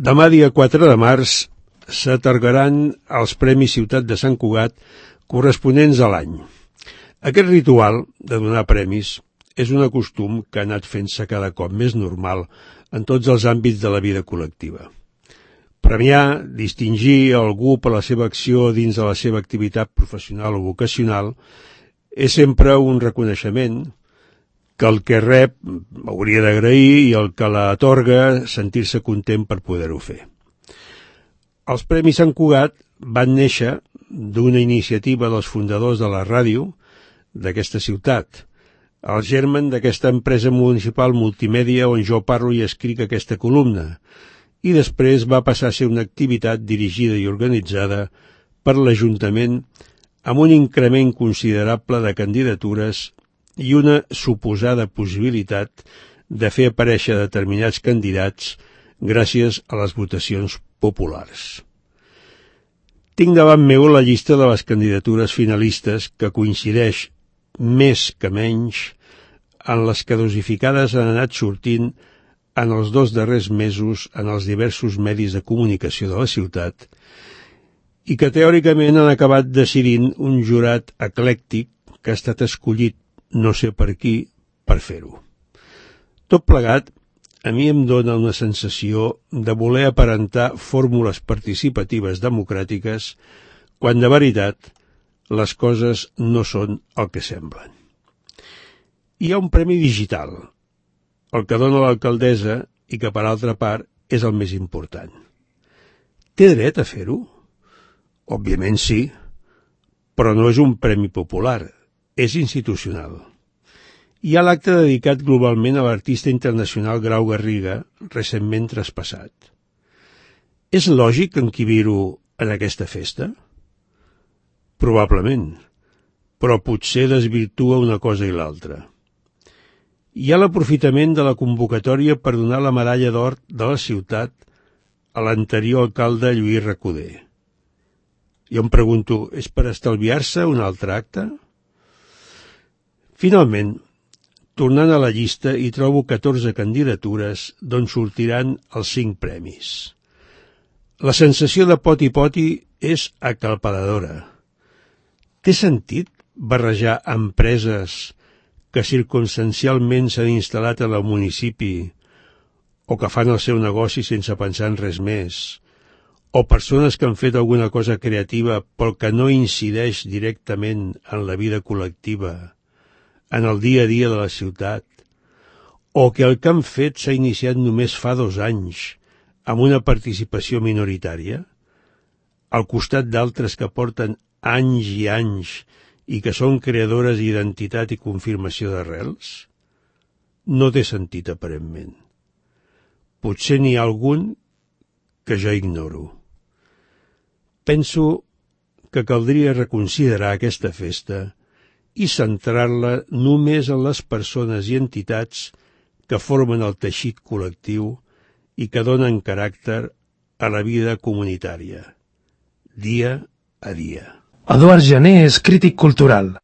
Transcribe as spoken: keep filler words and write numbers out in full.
Demà, dia quatre de març, s'atorgaran els Premis Ciutat de Sant Cugat corresponents a l'any. Aquest ritual de donar premis és un costum que ha anat fent-se cada cop més normal en tots els àmbits de la vida col·lectiva. Premiar, distingir algú per la seva acció dins de la seva activitat professional o vocacional és sempre un reconeixement que el que rep hauria d'agrair i el que l'atorga sentir-se content per poder-ho fer. Els Premis Sant Cugat van néixer d'una iniciativa dels fundadors de la ràdio d'aquesta ciutat, el germen d'aquesta empresa municipal multimèdia on jo parlo i escric aquesta columna, i després va passar a ser una activitat dirigida i organitzada per l'Ajuntament amb un increment considerable de candidatures i una suposada possibilitat de fer aparèixer determinats candidats gràcies a les votacions populars. Tinc davant meu la llista de les candidatures finalistes que coincideix més que menys en les que dosificades han anat sortint en els dos darrers mesos en els diversos medis de comunicació de la ciutat i que teòricament han acabat decidint un jurat eclèctic que ha estat escollit no sé per qui per fer-ho. Tot plegat, a mi em dóna una sensació de voler aparentar fórmules participatives democràtiques quan de veritat les coses no són el que semblen. Hi ha un premi digital, el que dona l'alcaldessa i que, per altra part, és el més important. Té dret a fer-ho? Òbviament sí, però no és un premi popular, és institucional. Hi ha l'acte dedicat globalment a l'artista internacional Grau Garriga, recentment traspassat. És lògic encabir-ho en aquesta festa? Probablement, però potser desvirtua una cosa i l'altra. Hi ha l'aprofitament de la convocatòria per donar la medalla d'or de la ciutat a l'anterior alcalde Lluís Recoder. Jo em pregunto, és per estalviar-se un altre acte? Finalment, tornant a la llista, hi trobo catorze candidatures d'on sortiran els cinc premis. La sensació de poti-poti és acalparadora. Té sentit barrejar empreses que circumstancialment s'han instal·lat al municipi o que fan el seu negoci sense pensar en res més, o persones que han fet alguna cosa creativa però que no incideix directament en la vida col·lectiva, en el dia a dia de la ciutat, o que el que han fet s'ha iniciat només fa dos anys amb una participació minoritària, al costat d'altres que porten anys i anys i que són creadores d'identitat i confirmació d'arrels? No té sentit, aparentment. Potser n'hi ha algun que jo ignoro. Penso que caldria reconsiderar aquesta festa i centrar-la només en les persones i entitats que formen el teixit col·lectiu i que donen caràcter a la vida comunitària, dia a dia. Eduard Jané és crític cultural.